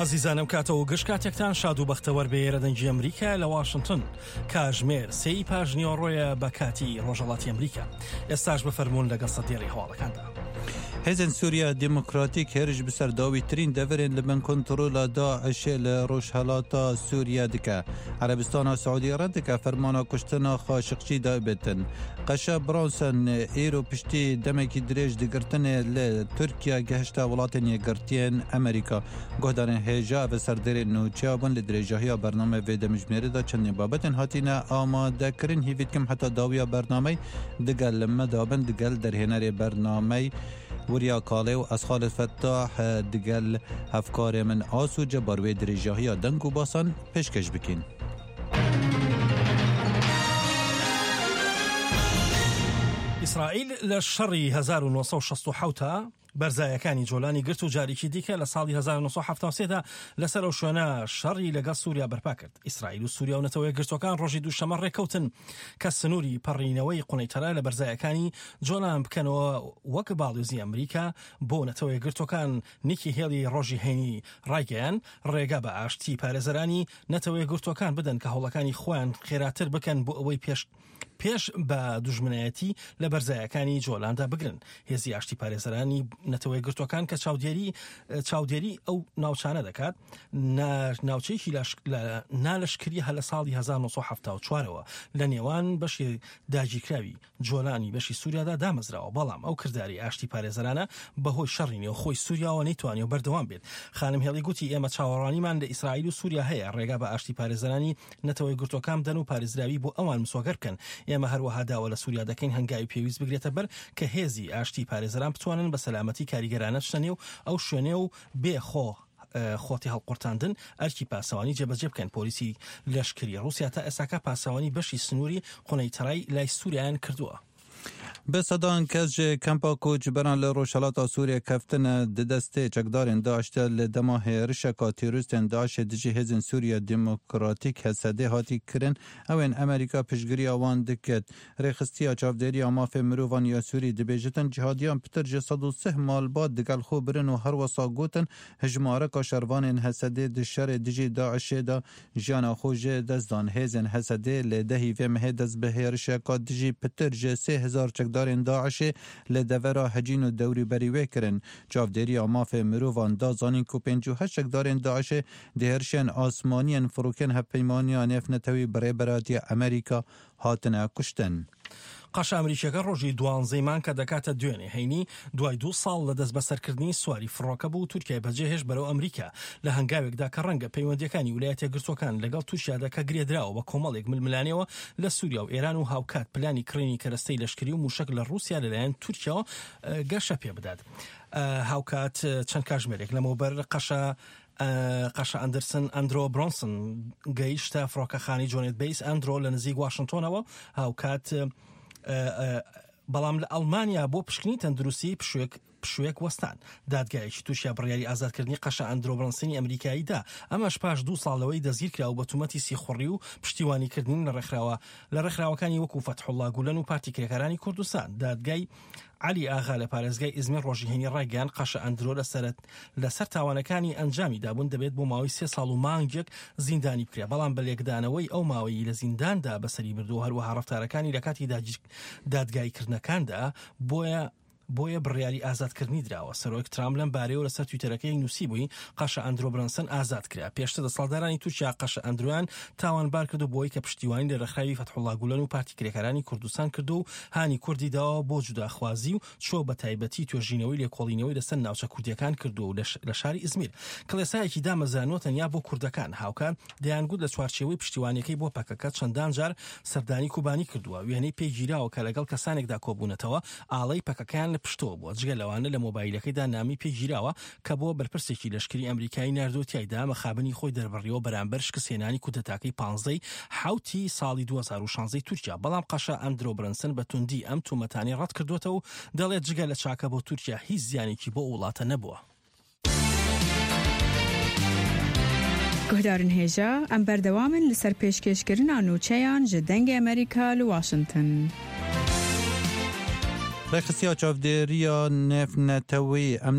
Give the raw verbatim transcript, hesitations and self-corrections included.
ئازیزانم کاتەوە گشت کاتێکتان شاد و بەختەوەر بێ. ئێرە دەنگی ئەمریکا لە واشنگتن، کاژمێر سێی پاش نیوەڕۆیە بە کاتی ڕۆژهەڵاتی ئەمریکا. ئێستاش بفەرموون لەگەڵ سەدێڕی هەواڵەکاندا. هێزên Sûriya Demokratîk hêriş bi ser dawîtirîn deverên li bin kontrola DAIŞê li Rojhilata Sûriye dike. Erebistana Siûdî red dike fermana kuştina Xaşiqçî dabitin. Qeşa Brunson îro piştî demekî dirêj digirtinê li Tirkiye gehişte welatên Yekgirtiyên Amerîka. Guhdarên hêja ev serdêrên nûçeya bûn li dirêjahiya bername vê demjimêrê de çendîn babetên hatine amadekirin. Hêvî dikim heta dawiya bernameyê digel me dabin digel derhênerê bernameyê وریا کاله و از خالد فتاح دگل هفکار من آسو جبار و درێژاهیە دەنگ و باسان پێشکەش بکەین. ئیسرائیل لە شەڕی هەزار و نۆ سەد و شەست و حەوت بەرزایەکانی جۆلانی گرت و جارێکی دیکە لە ساڵی هەزار و نۆ سەد و حەفتا و سێ دا لەسەر ئەو شوێنە شەڕی لەگەڵ سووریا بەرپا کرد. ئیسرائیل و سووریا و نەتەوە یەکگرتووەکان ڕۆژی دووشەممە ڕێککەوتن کە سنووری پەڕینەوەی قونەیتەرە لە بەرزایەکانی جۆلان بکەنەوە وەک باڵیۆزی ئەمریکا بۆ نەتەوە یەکگرتووەکان نیکی هێڵی ڕۆژی هەینی ڕایگەیان ڕێگا بە ئاشتی پارێزەرانی نەتەوە یەکگرتووەکان بدەن کە هەوڵەکانی خۆیان خێراتر بکەن بۆ ئەوەی پێش پێش بە دوژمنایەتی لە بەرزایەکانی جۆلاندا بگرن. هێزی ئاشتی پارێزەرانی نەتەوە یەکگرتووەکان کە چاودێری چاودێری ئەو ناوچانە دەکات ناوچەیەکی نالەشکری هە لە ساڵی هەزار و نۆ سەد و حەفتا و چوارەوە لە نێوان بەشی داگیرکراوی جۆلانی بەشی سووریادا دامەزراوە، بەڵام ئەو کرداری ئاشتی پارێزەرانە بەهۆی شەڕی نێوخۆی سووریاوە نەیتوانیوە بەردەوام بێت. خانم هێڵی گوتی ئێمە چاوەڕوانیمان لە ئیسرائیل و سووریا هەیە ڕێگا بە ئاشتی پارێزەرانی نەتەوە یەکگرتووەکان بدەن و پارێزراوی بۆ ئەوان مسۆگەر بکەن. ئێمە هەروەها داوا لە سووریا دەکەین هەنگاوی پێویست بگرێتە بەر کە هێزی ئاشتی پارێزەران بتوانن بە سەلامەتی کاریگەرانە بچنە نێو ئەو شوێنێ و بێ خۆ خۆتی هەڵقورتاندن ئەرکی پاسەوانی جێبەجێ بکەن. پۆلیسی لەشکری ڕووسیا تا ئێستاکە پاسەوانی بەشی سنووری قونەیتەرای لای سووریایان کردووە. به سەدان کەس ji kempa koçberan li Rojhilata Sûriye keftine di destê çekdarên DAIŞ de li dema hêrişeka terorîstên DAIŞê dijî hêzên Sûriya Demokratîk HSD hatî kirin ewên Amerîka piştgiriya wan diket. Rêxistiya çavdêriya mafê mirovan ya Sûrî dibêjitin cihadiyan pitir ji sed û sih malbat digel xwe birin û her wisa gotin hejmareka şervanên HSD di şerê dijî DAIŞê de jiyana xwe ji dest dan. Hêzên HSD li dehî vê mehê dest bi hêrişeka dijî pitir ji sê hezar çekdarên DAIŞê li devera Hecîn û dewrîberî wê kirin. Çavdêriya mafê mirovan da zanîn ku pênc û heşt çekdarên DAIŞê di hêrişên asmaniyên firokên hevpeymaniya nêvnetewî bi rêberatiya Amerîka hatine kuştin. قەشە ئەمریکیەکە ڕۆژی دوانزەی مانگ کە دەکاتە دوێنێ هەینی دوای دوو ساڵ لە دەست بەسەرکردنی سواری فڕۆکە بوو تورکیای بەجێهێشت بەرەو ئەمریکا لە هەنگاوێکدا کە ڕەنگە پەیوەندیەکانی ویلایەتە یەکگرتووەکان لەگەڵ تورکیادا کە گرێدراوە بە کۆمەڵێک ململانێەوە لە سووریا و ئێران و هاوکات پلانی کڕینی کەرەستەی لەشکری و موشەک لە ڕووسیا لەلایەن تورکیاوە گەشە پێ بدات. هاوکات چەند کاژمێرێک لەمەوبەر قەشە قەشە ئەندرسن ئەندرۆ برۆنسن گەیشتە فڕۆکەخانەی جۆنێت بەیس ئەندرۆ لە نزیک واشنگتۆنەوە. هاوکات بەڵام لە ئەڵمانیا بۆ پشکنی تەندروستی پشوێک پشوێک وەستان. دادگایەکی تورکیا بڕیاری ئازادکردنی قەشە ئەندرۆ برۆنسنی ئەمریکایی دا، ئەمەش پاش دوو ساڵ لەوەی دەستگیرکرا و بە تومەتی سیخوڕی و پشتیوانیکردنی لە ڕێکخراوە لە ڕێکخراوەکانی وەکو فەتحوڵڵا گولەن و پارتی کرێکارانی کوردستان. دادگای عەلی ئاغا لە پارێزگای ئیزمیر ڕۆژی هەینی ڕایگەیاند قەشە ئەندرۆ لەسەر تاوانەکانی ئەنجامی دابوون دەبێت بۆ ماوەی سێ ساڵ و مانگێک زیندانی بکرێت، بەڵام بە لێکدانەوەی ئەو ماوەیی لە زینداندا بەسەری بردووە، هەروەها ڕەفتارەکانی لە کاتی دادگاییکردنەکاندا بۆیە بۆیە بڕیاری ئازادکردنی دراوە. سەرۆک ترامپ لەم بارەیەوە لەسەر تویتەرەکەی نووسی بووی قەشە ئەندرۆ برەنسن ئازاد کرا. پێشتر دەسەڵاتدارانی تورکیا قەشە ئەندرۆیان تاوانبار کرد و بۆی کە پشتیوانی لە ڕێکخراوی فەتحوڵڵا گولەن و پارتی کرێکارانی کوردستان کرد و هانی کوردی داوە بۆ جوداخوازی و چۆ بە تایبەتی توێژینەوەی لێکۆڵینەوەی لەسەر ناوچە کوردیەکان کردو و لە شاری ئیزمیر کڵێسایەکی دامەزرانوە تەنیا بۆ کوردەکان. هاوکات دەیانگوت لە چوارچێوەی پشتیوانیەکەی بۆ پەکەکە چەندان جار سەردانی کوبانی کردووە. وێنەی پێگیراوە کە لەگەڵ کەسانێکدا کۆبوونەتەوە ئاڵەی پەکەکەیان لە پشتەوە بووە. جگە لەوانە لە مۆبایلەکەیدا نامی پێگیراوە کە بۆ بەرپرسێکی لەشکری ئەمریکایی ناردووە تیایدا مەخابنی خۆی دەربڕیەوە بەرامبەر شکستهێنانی کودەتاکەی پانزەی حوتی ساڵی دوو هەزار و شانزەی تورکیا. بەڵام قەشە ئەندرۆ برەنسن بە توندی ئەم تومەتانەی ڕەت کردووەتەوە و دەڵێت جگە لە چاکە بۆ تورکیا هیچ زیانێکی بۆ وڵاتە نەبووە. Guhdarên hêja em berdewam in li ser pêşkêşkirina nûçeyan ji Dengê Amerîka li Washington. Rêxistiya çavdêriya nêvnetewî em